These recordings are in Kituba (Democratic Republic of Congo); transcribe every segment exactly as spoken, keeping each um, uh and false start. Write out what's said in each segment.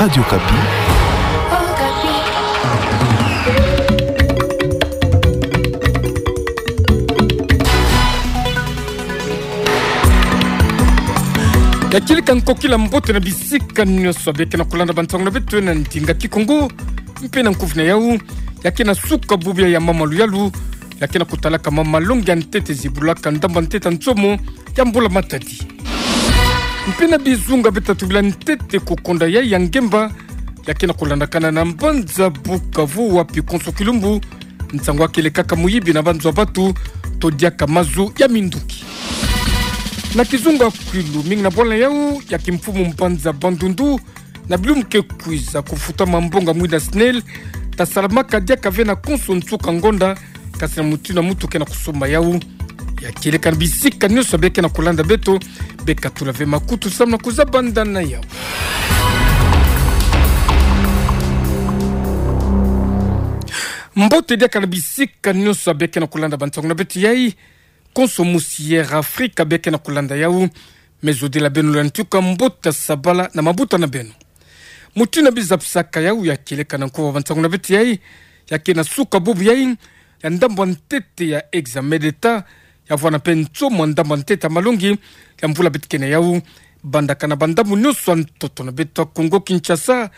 Radio Okapi. Ya kieleka nkokila mbote na bisika nyonso bia kena kulanda bansango na beto na ndinga Kikongo, mpe na nkufi na yau, ya kena suka bubu ya mama luyalu, ya kena kutalaka mama malongi ya ntete zibulaka ndambu ya ntete ya nsomo ya mbula matadi. Mpe na bizunga bia tatu bila ntete kukonda ya, ya ngemba, ya kena kulandakana na mbanza Bukavu wapi konso kilumbu, nsango ya kieleka ka muyibi na banzo ya batu, to diaka mazu ya minduki. Na kizunga kwilu mingi na bwala yau, ya kimfumu mbanza Bandundu, na bilumbu ke kwiza kufuta mambonga mwinda SNEL, tasalamaka diaka ve na konso nsuka ngonda, kasi na mutindu na mutu kena kusomba yau. Ya kieleka na bisika nyonso bia kena kulanda beto, beka tula ve makutu samu na kuzabanda na yau. Mbote diaka na bisika nyonso bia kena kulanda bansango na beto yai, konso musi Air Africa bia kena kulanda yau, me zodila beno lwa ntuka mbote sabala na mabuta na beno. Mutindu na bizapisaka yau ya kieleka na nkufi ya bansango na beto yai, ya kena suka bubu yai, ya ndambu ya ntete ya examen d'État, ya vwanda mpe nsomo ya ndambu ya ntete ya malongi, ya mvula beto kena yau, bandaka na bandambu nyonso ya ntoto na beto ya Kongo Kinshasa,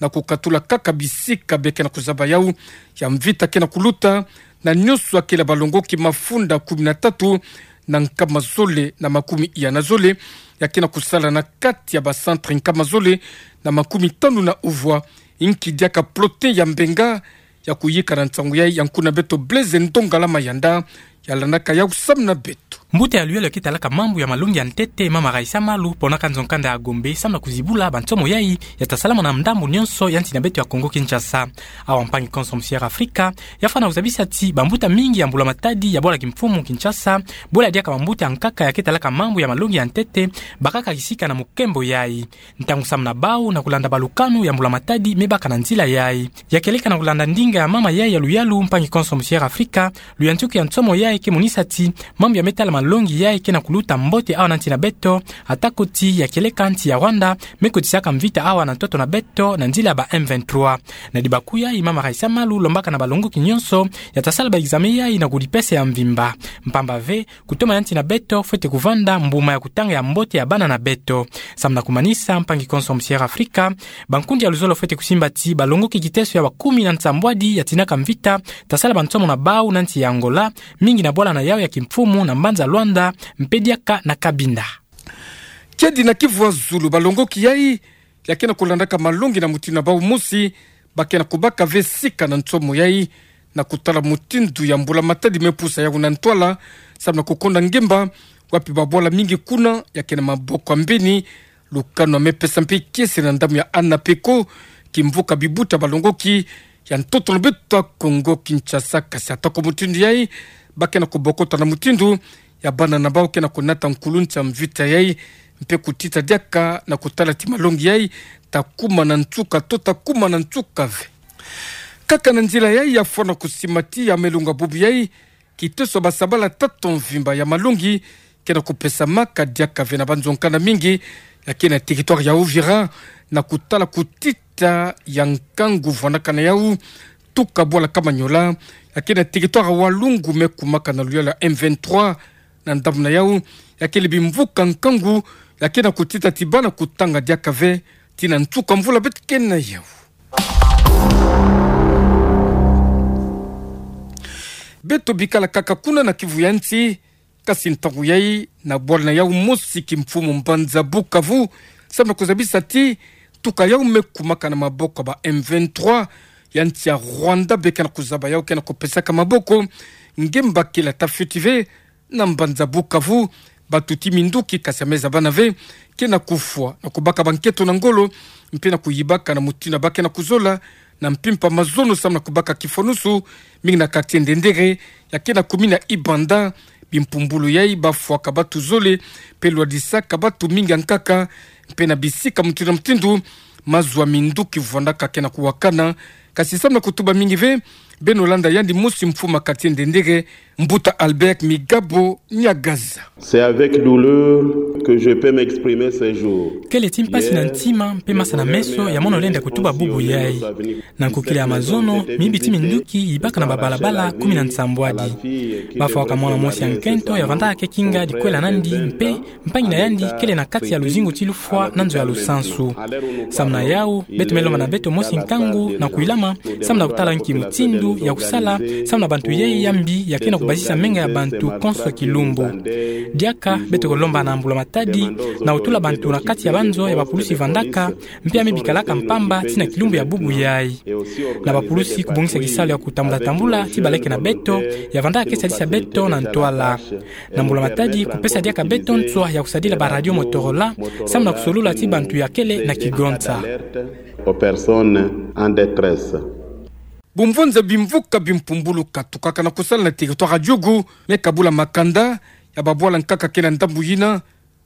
na kukatula kaka bisika bia kena kuzaba yau, ya mvita kena kuluta, na nyonso ya kele balongoki mafunda kumi na tatu, na nkama zole na makumi iya na zole, ya kena kusala na kati ya ba centre nkama zole na makumi tanu na uvwa, inki diaka plotin ya mbenga, ya kuyika na nsangu yai ya nkuna beto Blaise Ndongala Mayanda, ya landaka yau samu na beto. Mbuta ya luyalu ya ke talaka mambu ya malongi ya ntete, mama Raissa Malu, ponaka nzo-nkanda ya Gombe, samu na kuzibula bansomo yai, ya tasalama na ndambu nyonso ya nsi na beto ya Kongo Kinshasa. Awa mpangi konso musi Air Africa, ya fwana kuzabisa ti bambuta mingi ya mbula matadi ya bwala kimfumu Kinshasa, bwela diaka bambuta ya nkaka ya ke talaka mambu ya malongi ya ntete, bakaka kisika na mukembo yai. Ntangu samu na bau na kulanda balukanu ya mbula matadi me baka na nzila yai. Ya kieleka na kulanda ndinga ya mama yai ya luyalu mpangi konso musi Air Africa, luyantuki ya nsomo yai ke monisa ti mambu ya me tala malongi yai ke na kuluta mbote awa na nsi na beto, atako ti ya kieleka nsi ya Rwanda me kotisaka mvita awa na ntoto na beto na nzila ya ba M vingt-trois. Na dibaku yai mama Raissa Malu lombaka na balongoki nyonso ya tasala ba examen yai na kudipesa ya mvimba. Mpamba ve, kutoma ya nsi na beto fwete kuvanda mbuma ya kutanga ya mbote ya bana na beto. Samu na kumanisa, mpangi konso musi Air Africa, bankundi ya luzolo fwete kusimba ti balongoki kiteso ya bakumi na nsambwadi ya tinaka mvita, tasala bansomo na bau na nsi ya Angola, mingi na bwala na yau ya kimfumu na mbanza Luanda, mpe diaka na Cabinda. Kiadi na Kivu ya zulu, balongoki yai ya ke na kulandaka malongi na mutindu na bau mosi, ba ke na kubaka ve sika na nsomo yai, na kutala mutindu ya mbula matadi me pusa yau na ntwala, samu na kukonda ngemba, wapi babwala mingi kuna ya ke na maboko ya mbeni. Lukanu ya me pesa mpe kiese na ndambu ya ANAPECO, kimvuka bibuta balongoki ya ntoto na beto ya Kongo Kinshasa, kasi atako mutindu yai, ba ke na kubokota na mutindu ya bana na bau ke na kunata nkuluntu ya mvita yai, mpe kutita diaka na kutala ti malongi yai ta kuma na nsuka to ta kuma na nsuka ve. Kaka na nzila yai ya fwana kusimba ti ya me longa bubu yai, kiteso basabala tata mvimba ya malongi ke na kupesamaka diaka ve na banzo-nkanda mingi ya ke na territoire ya Uvira, na kutala kutita ya nkangu vwandaka na yau tuka bwala Kamanyola, ya ke na territoire ya Walungu me kumaka na luyalu ya M vingt-trois. Na ndambu na yau, ya kele bimvuka nkangu ya ke na kutita ti bana kutanga diaka ve tii na nsuka mvula beto ke na yau. Beto bikala kaka kuna na Kivu ya nsi, kasi ntangu yai na bwala na yau mosi kimfumu mbanza Bukavu, samu na kuzabisa ti tuka yau me kumaka na maboko ya ba M vingt-trois, ya nsi ya Rwanda be ke na kuzaba yau ke na kupesaka maboko. Ngemba kila ta fioti ve na mbanza Bukavu, batuti minduki kasi ya me zabana ve ke na kufwa na kubaka banketo na ngolo, mpe na kuyibaka na mutindu ba ke na kuzola na mpimpa mazono samu na kubaka kifwanusu, mingi na quartier Ndendere, ya ke na commune ya Ibanda. Bimpumbulu yai bafwaka batu zole, mpe lwadisaka batu mingi ya nkaka, mpe na bisika mutindu na mutindu, mazu ya minduki vwandaka ke na kuwakana, kasi samu na kutuba mingi ve, Beno landa yandi mosi mfuma kati ndendere, Mbuta Albert Migabo Nyagaza. C'est avec douleur que je peux m'exprimer ces jours. Kele ti mpasi na ntima mpe masa na meso ya mono lenda kutuba bubu yai. Na nkokila ya mazono, mibi ti minduki yibaka na babalabala kumi na nsambwadi. Bafwaka mwana mosi ya nkento ya vandaka ke kinga dikwela nandi mpe mpangi na yandi kele na kati ya luzingu ti lufwa na nzo ya lusansu. Samu na yau, beto me lomba na beto mosi nkangu na kuilama, samu na kutala nki mutindu ya kusala, samu na bantu yai ya mbi ya ke na kubazisa menga ya bantu konso kilumbu. Diaka, beto kolomba na mbula matadi, na kutula bantu na kati ya banzo ya bapulusi vandaka, mpe ya me bikalaka mpamba ti na kilumbu ya bubu yai. Na bapulusi kubongisa kisalu ya kutambula-tambula ti baleke na beto, ya vandaka ke sadisa beto na ntwala. Na mbula matadi kupesa diaka beto nswa ya kusadila ba radio Motorola, samu na kusolula ti bantu ya kele na kigonza. Aux personnes en détresse. Bumvonza bimvuka bimpumbulu katukaka na kusala na territoire ya Djugu, me kabula makanda ya babwala nkaka ke na ndambu yina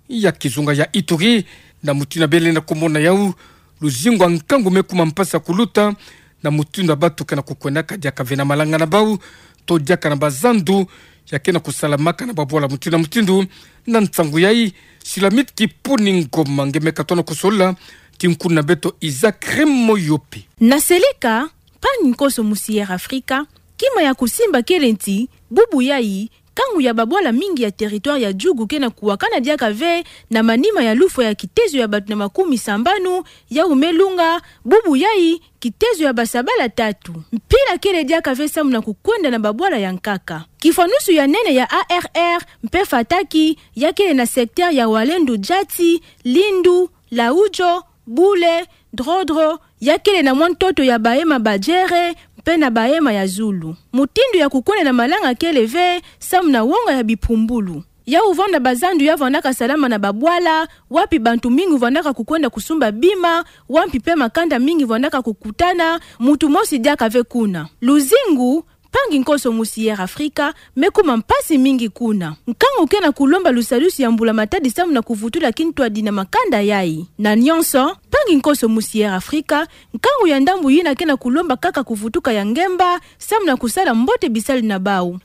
ya kizunga ya Ituri, na mutindu bele na kumona yau, luzingu ya nkangu me kuma mpasi ya kuluta, na mutindu batu ke na kukwendaka diaka ve na malanga na bau, to diaka na bazandu ya ke na kusalamaka na babwala mutindu na mutindu. Na nsangu yai, Silamit Kipuni Ngoma nge me katono kusolola, ti nkuna beto Isaac Remoyope. Na seleka, mpangi nkoso musi Air Africa, kima ya kusimba kele nti, bubu yai, nkangu ya babwala mingi ya territoire ya Djugu ke na kuwakana diaka ve na manima ya lufwa ya kitezo ya bantu na makumi sambanu, yau me lunga, bubu yai, kitezo ya basabala tatu. Mpila kele diaka ve samu na kukwenda na babwala ya nkaka. Kifwanusu ya nene ya A R R, mpe fataki, ya kele na secteur ya Walendu Djati, Lindu, Laudjo, Bule, Drodro, ya kele na mwa ntoto ya bahema Badjere, mpe na bahema ya zulu. Mutindu ya kukwenda na malanga kele ve, samu na wonga ya bipumbulu. Yau vanda bazandu ya vandaka salama na babwala, wapi bantu mingi vandaka kukwenda kusumba bima, wapi mpe makanda mingi vandaka kukutana, muntu mosi diaka ve kuna. Luzingu, mpangi nkoso musi Air Africa, me kuma mpasi mingi kuna. Nkangu ke na kulomba lusalusu ya mbula matadi samu na kuvutula kintwadi na makanda yai. Na nyonso, mpangi nkoso musi Air Africa, nkangu ya ndambu yina ke na kulomba kaka kuvutuka ya ngemba, samu na kusala mbote bisalu na bau.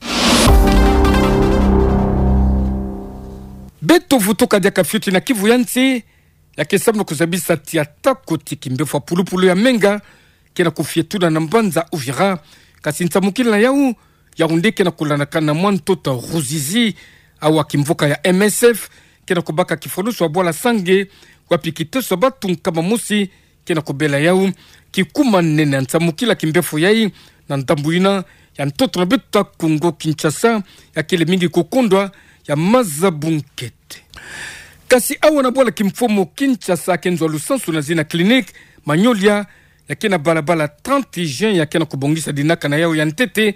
Beto vutuka diaka fioti na Kivu ya nsi, ya ke samu na kuzabisa tia tako ti kimbefo ya pulupulu ya menga, ke na kufietula na mbanza Uvira, kasi nsamukila na yau, Yaoundé ke na kulandakana na mwa ntoto Ruzizi, awa kimvuka ya M S F, ke na kubaka kifwanusu ya bwala Sange, wapi kiteso ya batu nkama mosi, ke na kubela yau, kikuma nene ya nsamukila kimbefo yai, na ndambu yina, ya ntoto na beto ya Kongo Kinshasa, ya kele mingi kukondwa, ya maza bunkete. Kasi awa na bwala kimfumu Kinshasa, ke nzo ya lusansu na zina clinique, Magnolia, ya ke na balabala trente juin, ya ke na kubongisa dinaka na yau ya ntete,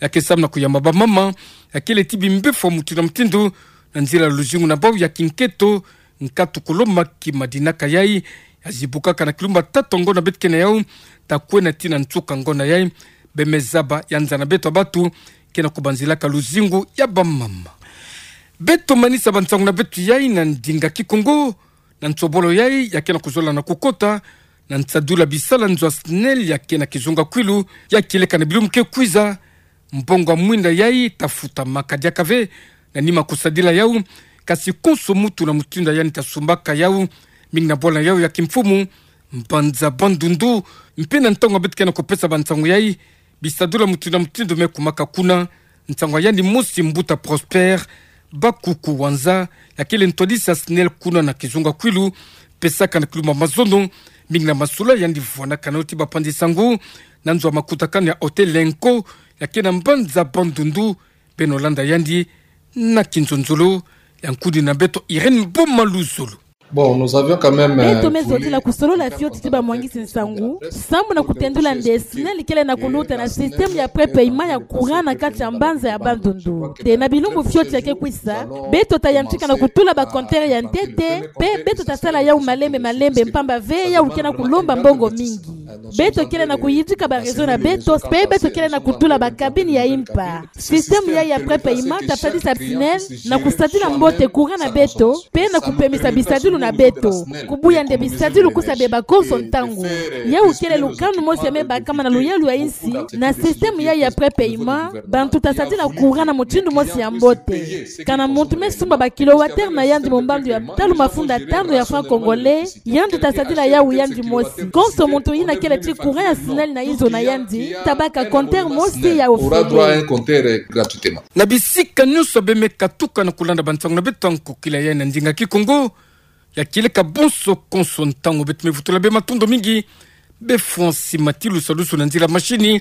ya ke samu na kuyamba bamama, ya kele ti bimbefo mutindu na mutindu, na nzila luzingu na bau ya kinketo, nkatu kulomba kima dinaka yai, ya zibukaka na kilumbu tatu ya ngonda beto ke na yau, ta kwenda tii na nsuka ngonda yai, be me zaba ya nza na beto ya batu, ke na kubanzilaka luzingu ya bamama. Beto manisa bansangu na beto yai na ndinga Kikongo, na nsobolo yai, ya ke na kuzola na kukota, na nsadula bisalu nzo ya SNEL ya ke na kizunga kwilu, ya kieleka na bilumbu ke kwiza, mbongo ya mwinda yai, ta futamaka diaka ve, na nima kusadila yau, kasi konso mutu na mutindu yandi ta sumbaka yau, mingi na bwala yau ya kimfumu, mbanza Bandundu, mpe na ntangu beto ke na kupesa bansangu yai, bisadula mutindu na mutindu me kumaka kuna, nsangu ya yandi mosi mbuta Prosper Bakuku Wanza, ya kele ntwadisi ya SNEL kuna na kizunga kwilu, pesaka na kilumbu mazono, mingi na masula yandi vwanaka nao ti bapanzi sangu, na nzo ya makutakanu ya Hôtel Lenco, ya ke na mbanza Bandundu, beno landa yandi, na kinzonzolo, ya nkudi na beto Irène Boma Luzolo. Bon, nous avions quand même, euh, beto me zotila kusolola fioti ti bamwangisi nsangu, sambu na kutendula nde SNEL kele na kuluta na système ya prépaiement ya courant na kati ya mbanza ya Bandundu. Te na bilumbu fioti ya ke kwisa, beto ta yantika na kutula ba compteur ya ntete, mpe beto ta sala yau malembe malembe mpamba ve yau ke na kulomba mbongo mingi. Beto kele na kuyidika ba réseau na beto, pe beto kele na kutula ba cabine ya impa. Système yayi ya prépaiement tasadisa ba SNEL na kusadila mbote courant na beto, pe na kupemisa bisadilu na beto. Kubuya nde bisadilu kusa beba konso ntangu. Yawu kele lukanu mosi ya me bakama na luyalu ya insi, na système yayi ya prépaiement, bantu tasadila courant na mutindu mosi ya mbote. Kana muntu me sumba ba kilowattheure na yandi mu mbandu ya talu mafunda tanu ya franc congolais, yandi tasadila yawu yandi mosi. Konso muntu yina kele ti courant ya SNEL na izo na yandi, tabaka compteur mosi ya ofele. Na bisika nyonso bemeka tuka na kulanda bansangu na beto ya nkokila ya na ndinga Kikongo, ya kieleka bonso konso ntangu. Beto me vutula be matondo mingi be Francis Matilu, salusu na nzila mashini,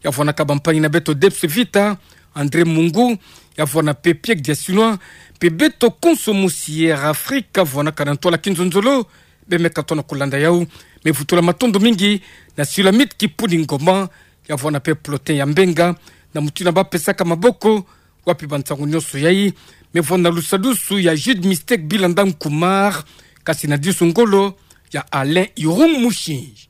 ya vwanaka bampangi na beto Debs Vita, André Mungu, ya vwana pe Pierre Diasinois, pe beto konso mosi Air Afrique, vwanaka na ntwala kinzonzolo, bemeka tona kulanda yawu. Me vutula matondo mingi na Sulamite Kipuni Ngoma, ya vwana pe Plotin ya Mbenga, na mutindu ba pesaka maboko, wapi bansangu nyonso yayi. Me vwana lusadusu ya Jude Mistake Bilanda Nkumar, kasi na disu ngolo ya Alain Irum Mushi.